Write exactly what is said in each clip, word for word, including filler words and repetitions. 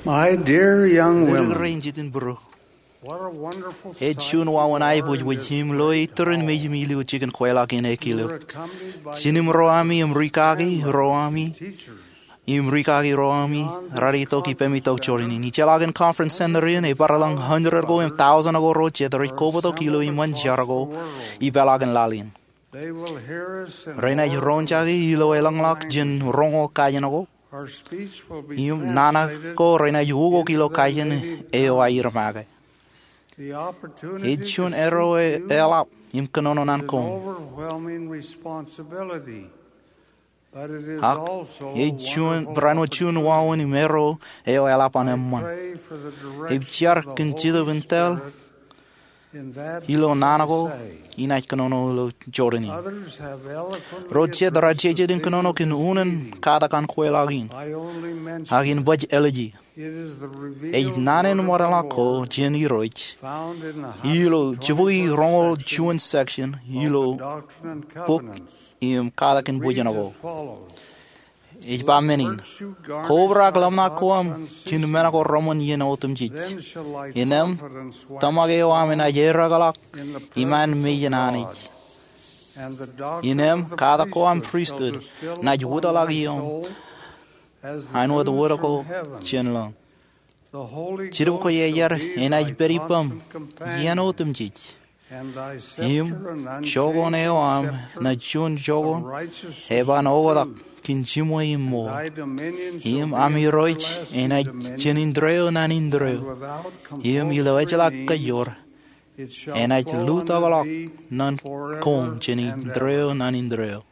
My dear young women, Ri-kūr rein jitin būruō, what a wonderful ej sight juon wāween aiboojoj im lo iturin mejāmi ilo jikin kweilọk in ekilo. Jen im ro ami im ri kaki ro ami, im ri kaki ro ami raar itok ippemi tok jọteen in. Ijeḷọkin conference center in, ebar ḷọk hundred ko im thousand ko ro jet rej kobatok ilo iṃōn jar ko ipeḷaakin laḷ in. Renaaj roñjake ilo elōñḷọk jān roñoul kajen ko, im nana ko renaaj ukok ilo kajen eo aer make. Ej juon erro eḷap im kōnono naan koṃ. Ak ej juon, barāinwōt juon wāween im erro eo eḷap an eṃṃan. Ij jar kōn Jetōb in tōl ilo naan ko inaaj kōnono ilo jọteen in. Ro jet raar jeje in kōnono kōn unin katak an kweilọk in, ak in baj ālije. Ej naan in ṃōdeḷọk ko jān Irooj ilo jibukwi roñoul juon section ilo bok im katak in bōjjān ko. Ej ba men in: Kobrak ḷōmṇak ko aṃ kōn men ko reṃōn iien otemjej. Innām tōmak eo aṃ enaaj erreḷọk iṃaan mejān Anij. Innām katak ko aṃ pristut enaaj wōtlọk ioṃ āinwōt wōt ko jān lōñ. Jetōb Kwōjarjar enaaj pād ippaṃ iien otemjej. Im jokon eo aṃ ṇa juon jokon eban oktak kōn jiṃwe im ṃool. Im aṃ Irooj enaaj jān indeeo ṇa indeeo. Im ilo ejjeḷọk kōjor enaaj lutokḷọk naan koṃ jān indeeo ṇa indeeo.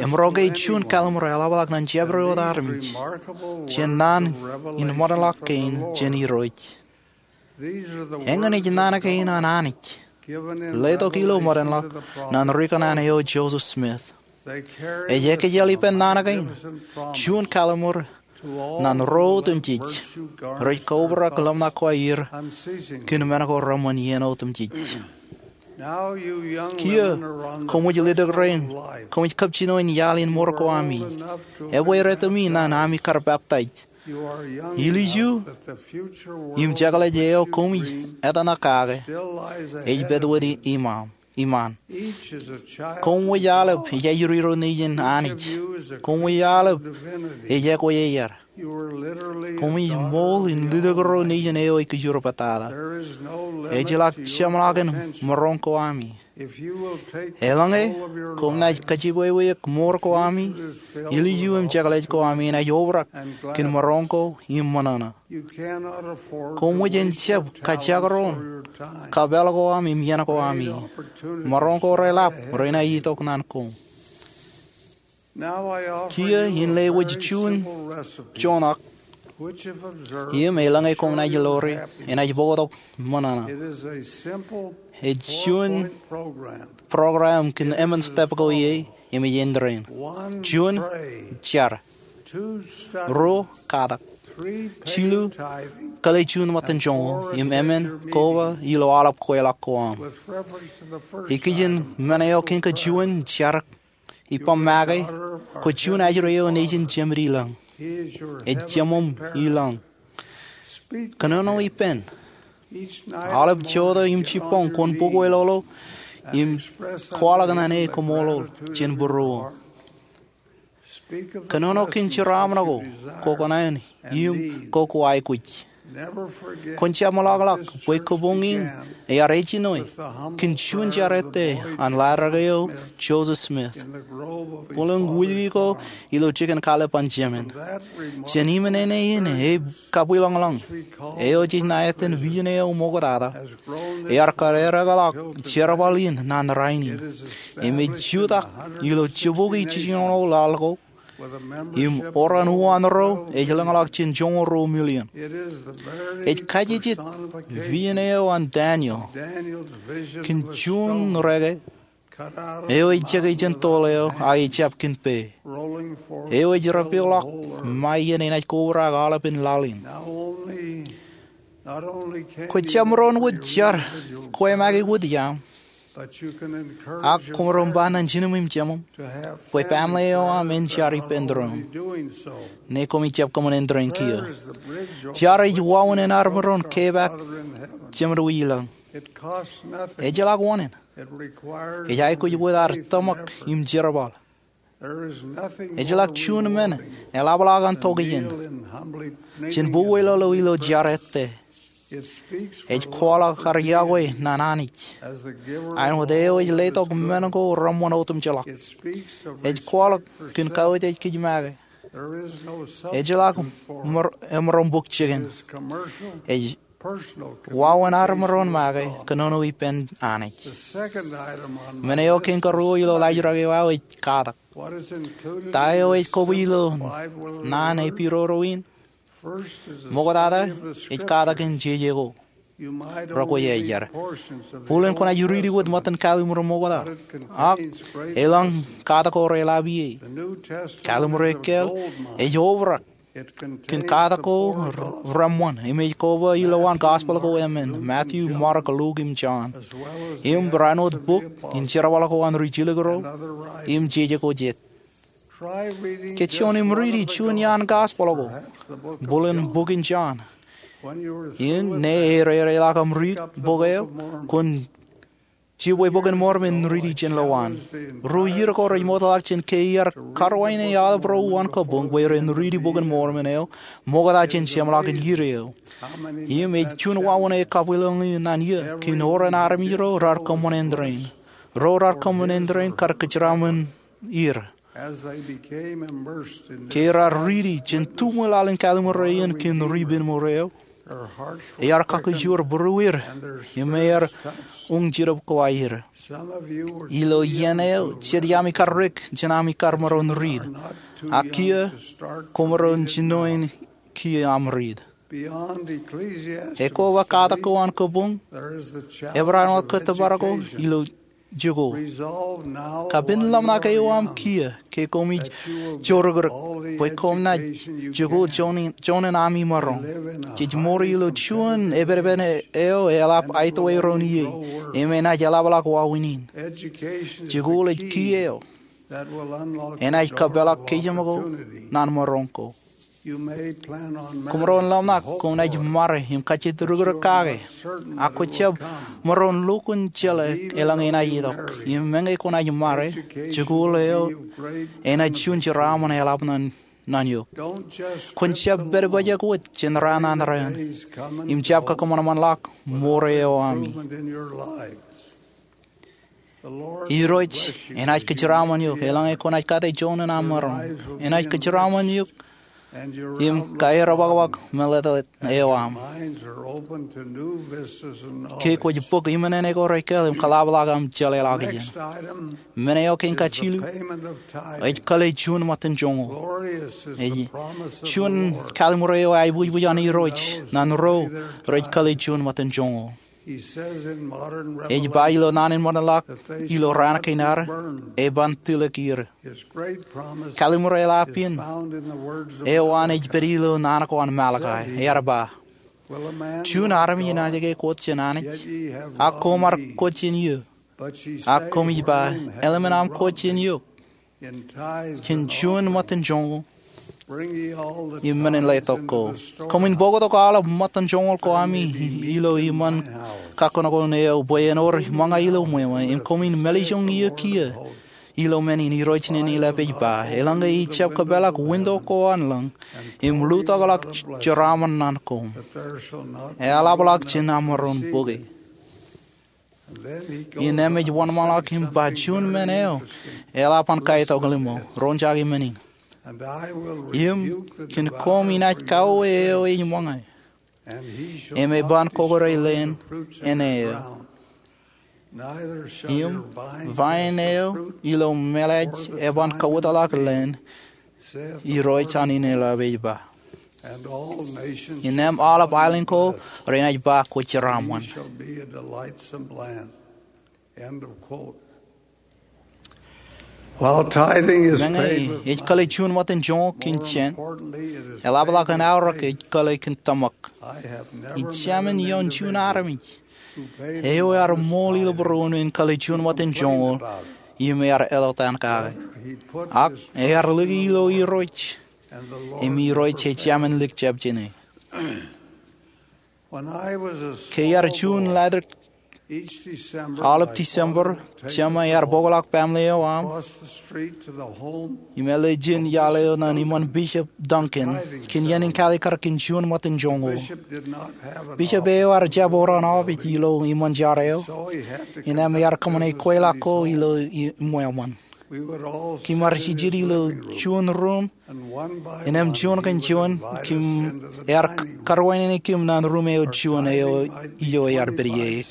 Im ro ke juon kallim̧ur eḷapḷọk ñan jabdewōt armej jān naan in ṃōdeḷọk kein jān Irooj? Eñin ej naan kein an Anij letok ilo ṃōdeḷọk ñan ri kōṇaan eo Joseph Smith. Ej ekjel ippān naan kein, juon kallim̧ur ñan ro otemjej rej kobrak ḷōmṇak ko aer kōn men ko reṃōn iien otemjej. Kiiō, koṃij letok rein, koṃij kab jino in iaḷ in mour ko ami. Ebwe retto me ñan ami kar peptaij. Ilju im jekḷaj eo koṃij etōṇak kake ej pād wōt iṃaan. Koṃij aolep ej ajri ro nejin Anij. Koṃij aolep ej ekwōjarjar. Koṃij ṃool in lutōk ro nejin eo ej kōjro pād tata. Ejjeḷọk jeṃḷọkin maroñ ko ami. Eḷaññe koṃ naaj kajjitōk mour ko ami, ilju im jekḷaj ko ami enaaj obrak kōn maroñ ko im ṃōṇōṇō. Koṃij en jab kajjioñ kajjioñ kab eḷ ko ami im iien ko ami. Maroñ ko reḷap renaaj itok naan koṃ. Kiiō in lewōj juon joñak im eḷaññe koṃ naaj lore, enaaj bōktok ṃōṇōṇō. Ej juon program kōn emān step ko ie im ej indeeo. Juon, jar. Ruo, katak. Jilu, kōḷḷe juon ṃōttan joñoul. Im emān, koba ilo aolep kweilọk ko aṃ. Ikijjien men eo kein kōjuon, jar, ippaṃ make, kwō juon ajri eo nejin jemed ilañ. Ej jeṃaṃ ilañ. Kōnono ippān. Aolep jota im jibboñ kwōn bōk wōtlọk im kwaḷọk naan e koṃṃool jān būruō. Kōnono kōn jeraaṃṃan ko, kokoṇaan im kokoaikuj. Kwōn jab ṃōḷaḷḷọk bwe kōpoñ in ear ejjino kōn juon jar ettā an ḷadik eo Joseph Smith bōlen wūjki ko ilo jikin kallib an Jemān. Jān iṃōn āne in ej kabwilōñlōñ eo jej ṇa etan vision eo ṃoktata, ear kar erreḷọk jerbal in ñan rainin. Im ej jutak ilo jibukwi jiljinoñoul laḷ ko, im oran uwaan ro ej lōñḷọk jān joñoul ruo million. Ej kajjitōk vision eo an Daniel kōn juon reke eo ej jekjek jān toḷ eo ak ej jab kōn pā, eo ej repeḷọk ṃae iien enaaj kobrak aolepen laḷ in. Kwō jab maroñ wōt jar kwe make wōt iaṃ. Ak koṃ maroñ ba ñan jinen im jemem bwe family eo aṃ en jar ippān doon, ñe koṃij jab kōṃṃane doon kiiō. Jar ej wāween an armej maroñ kepaak Jemān eo ilọk. Ejjeḷọk wōṇāān. Ej aikuj wōt ad tōmak im jerbal. Ejjeḷọk juon men eḷapḷọk an tok iien jān bukwōj ḷọk ilo jar ettā. Ej kwaḷọk ad yokwe ñan Anij, āinwōt eo ej letok men ko reṃṃan otemjeḷọk. Ej kwaḷọk kōn kautiej kōj make. Ejjeḷọk emaroñ bōk jikin. Ej wāween armej maroñ make kōnono ippān Anij. Men eo kein karuo ilo laajrak eo aō ej katak. Ta eo ej kobwe ilo naan epiroro in? Ṃoktata, ej katak in jeje ko. Rọkwe ej jar. Buḷōn kwōnaaj riiti wōt ṃōttan kalimur ṃokta, ak elōñ katak ko reḷap ie. Kalimur ekkāāl ej obrak kōn katak ko reṃṃan im ej koba ilowaan gospel ko emān, Matthew, Mark, Luke im John, im barāinwōt bok in jerbal ko an ri jilkinro im jeje ko jet. Ke juon im riiti juon iaan gospel ko, buḷōn bok in John. Im ñe erereḷọk aṃ riit bok eo, kwōn jibwe Bok in Mormon in riiti jān lowaan. Ru iiō ko rej ṃootḷọk jān ke iar karuwainene aolep ro uwaan kōpooj bwe ren riiti Bok in Mormon eo ṃokta jān jeṃḷọkin iiō eo. Im ej juon wāween eo ekabwilōñ ñan iiō kōn oran armej ro raar kōṃṃan āindein. Ro raar kōṃṃan āindein kar kōjeraṃṃan er. Ke raar riiti jān tuṃwe laḷ in kalimur eṇ kōn ri ippān ṃōro eo, ear kakkōjor būruer im ear uñjidep ko aer. Ilo iien eo jet iaami kar rek jān ami kar maroñ riit, ak kiiō koṃ maroñ jinoin kiiō aṃ riit. Ekoba katak ko an kōpooj, ebarāinwōt kōttōpar ko ilo jikuuḷ. Kapenḷọk eo aṃ kiiō ke koṃij jorōkrōk bwe koṃ naaj jikuuḷ joñan ami maroñ. Jej ṃool ilo juon epepen eo eḷap aetwe doon ie im enaaj eḷapḷọk wāween in. Jikuuḷ ej kiiō eo enaaj kōpeḷḷọk kōjām ko ñan maroñ ko. Koṃ maroñ ḷōmṇak koṃ naaj ṃare im kajjitōk rūkrūk kake, ak kwō jab maroñ lukkuun jeḷā eḷaññe enaaj itok. Im meñe kwō naaj ṃare, jikuuḷ eo enaaj juon jeraaṃṃan eḷap ñan eok. Kwōn jab pād pojak wōt jān raan an raan im jab kakōṃanṃanḷọk ṃool eo ami. Irooj enaaj kōjeraaṃṃan eok eḷaññe kwō naaj kate joñan aṃ maroñ. Enaaj kōjeraaṃṃan eok im kaerōpakpak meḷeḷe eo aṃ ke kwōj bōk iṃōṇōṇō ko rekkāāl im kōḷapḷọk aṃ jeḷāḷọkjeṇ. Men eo kein kajilu ej kōḷḷe juon ṃōttan joñoul. Ej juon kalimur eo aiboojoj an Irooj ñan ro rej kōḷḷe juon ṃōttan joñoul. Ej ba ilo naan in ṃōṇōṇō ilo raan kein ad, eban tilōk er. Kalimur eḷap in eo an ej pād ilo naan ko an Malakai. Ear ba, juon armej enaaj ke kwōj jān Anij, ak koṃ ar kwōj jān eō? Ak koṃij ba, eḷmen aṃ kwōj jān eok jān juon ṃōttan joñoul im men in letok ko. Koṃwin bōktok aolep ṃōttan joñoul ko ami ilo iṃaan kakkōnono eo bwe en wōr ṃōñā ilo ṃweo, im koṃwin mālejjoñ eō kiiō. Ilo men in Irooj in eḷap ej ba, eḷaññe ij jab kōpeḷḷọk winto ko an lañ im lutokḷọk jeraaṃṃan ñan koṃ, eḷapḷọk jān aṃ maroñ bōke. Innām ej wōnṃaanḷọk im ba juon men eo eḷap an kaetok ḷimo, roñjake men in. Im kōn koṃ inaaj kauwe eo ej ṃōñā, im eban kōkōrā leen eo. Im vain eo ilo mālōtlōt eban kōwōtlọk leen, Irooj an in eḷap ej ba. Innām aolep aelōñ ko renaaj ba kwōj jeraaṃṃan. Meñe ej kōḷḷe juon ṃōttan joñoul kōn jān, eḷapḷọk an aorōk ej kōḷḷe kōn tōmak. Ij jāmin ioon juon armej eo ear ṃool ilo būruon in kale juon ṃōttan joñoul im ear eḷọk taan kake. Ak ear lōke ilo Irooj, im Irooj ej jab men lik jab jāne. Ke iar juon laḷtak, aolep December, Jema ear bōkḷọk baaṃle eo aṃ im āle jān iaḷ eo ñan iṃaan Bishop Duncan kōn iien in kaalikkar kōn juon ṃōttan joñoul. Bishop eo ear jab bar an opiij ilo iṃaan jar eo, innām ear kōṃṃane kweilọk ko ilo iṃweo ṃōn. Kōm ar jijet ilo juon ruum, innām juon kōn juon kōm, ear karuwainene kōm ñan ruum eo juon eo, eo ear pād ie.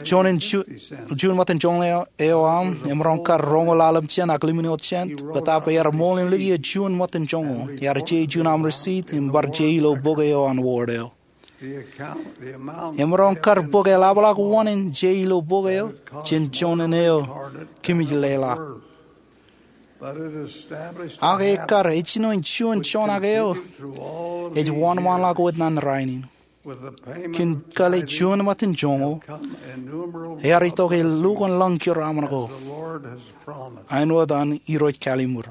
Juon in ju-, juon ṃōttan joñoul eo, eo aṃ emaroñ kar roñoul ḷalem jān ak limōn eoon jān, bōtaab ear ṃool in lōke juon ṃōttan joñoul. Ear je juon aṃ receipt im bar je ilo bok eo an ward eo. Emaroñ kar bōk eḷapḷọk wōn in je ilo bok eo jān joñan eo kōmij leḷọk. Ak ekkar, ej jino in juon joñak eo ej wōnṃaanḷọk wōt ñan rainin. Kōn kale juon ṃōttan joñoul, ear itok e lukkuun lōñ jeraaṃṃan ko, āinwōt an Irooj Kalliṃur.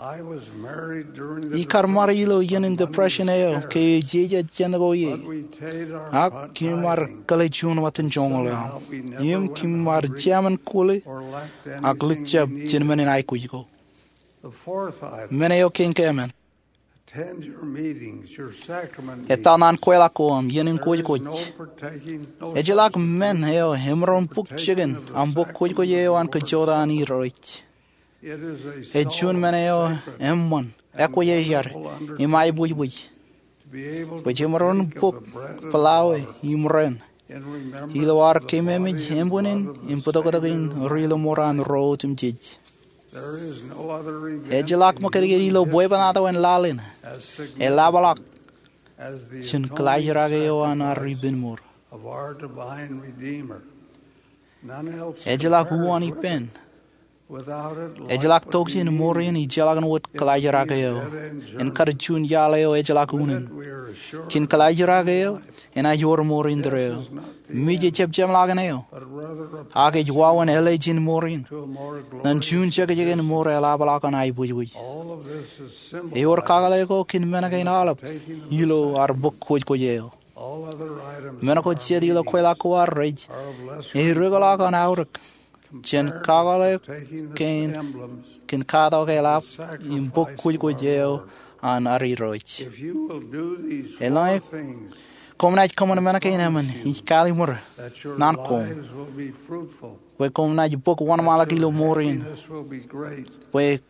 Ikar ṃare ilo iien in depression eo ke ejejjet jān ko ie. Ak kōm ar kale juon ṃōttan joñoul eo aṃ, im kōm ar jab men kwōle ak lik jab jān men in aikuj ko. Men eo kein ke emān. Etal ñan kweilọk ko aṃ, iien in kwōjkwōj. Ejjeḷọk men eo emaroñ bōk jikin aṃ bōk kwōjkwōj eo an kajjojo an Irooj. Ej juon men eo eṃṃan, ekwōjarjar, im aebwijbwij, bwe jemaroñ bōk peḷawe im ren ilo ad keememej ānbwinnin im bōtōktōkin ri ḷōṃaro an ro otemjej. Ejjeḷọk ṃōkadkad ilo bwebwenato in laḷ in eḷapḷọk jān kōḷaajrak eo an ad ippān mour. Ejjeḷọk uwaan ippān. Ejjeḷọk tokjān mour in ijjeḷọkin wōt kōḷaajrak eo, en kar juon iaḷ eo ejjeḷọk unin. Kōn kōḷaajrak eo enaaj wōr mour indeeo. Mije jepjepḷọk in eo, ak ej wāween ālijin mour in ñan juon jekjek in mour eḷapḷọk an aebwijbwij. Ewōr kakōḷḷe ko kōn men kein aolep ilo ad bōk kwōjkwōj eo. Men ko jet ilo kweilọk ko ad rej ereokḷọk an aorōk jān kakōḷḷe kein kōn katak eḷap im bōk kwōjkwōj eo an ad Irooj. Eḷaññe koṃ naaj kōṃṃan men kein emān, ij kalliṃur ñan koṃ bwe koṃ naaj bōk wōnṃaanḷọk ilo mour in, bwe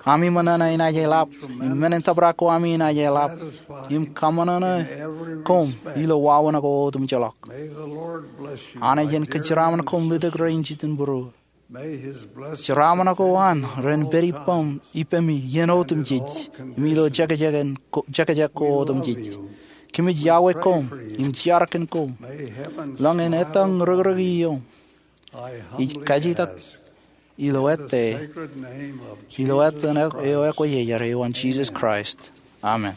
ami ṃōṇōṇō enaaj eḷap, im men in tōprak ko ami enaaj eḷap, im kaṃōṇōṇō koṃ ilo wāween ko otemjej ḷọk. Anij en kōjeraaṃṃan koṃ letok rein jitōnbōro. Jeraaṃṃan ko an ren pād ippemi iien otemjej im ilo jekjek ko otemjej. Kōmij iọkwe koṃ im jeorkakpeje koṃ. Eḷaññe ettoḷọk rūkrūki iom, ij kajitak ilo ettā, ilo etan eo ekwōjarjar eo an Jisōs Kraist, amen.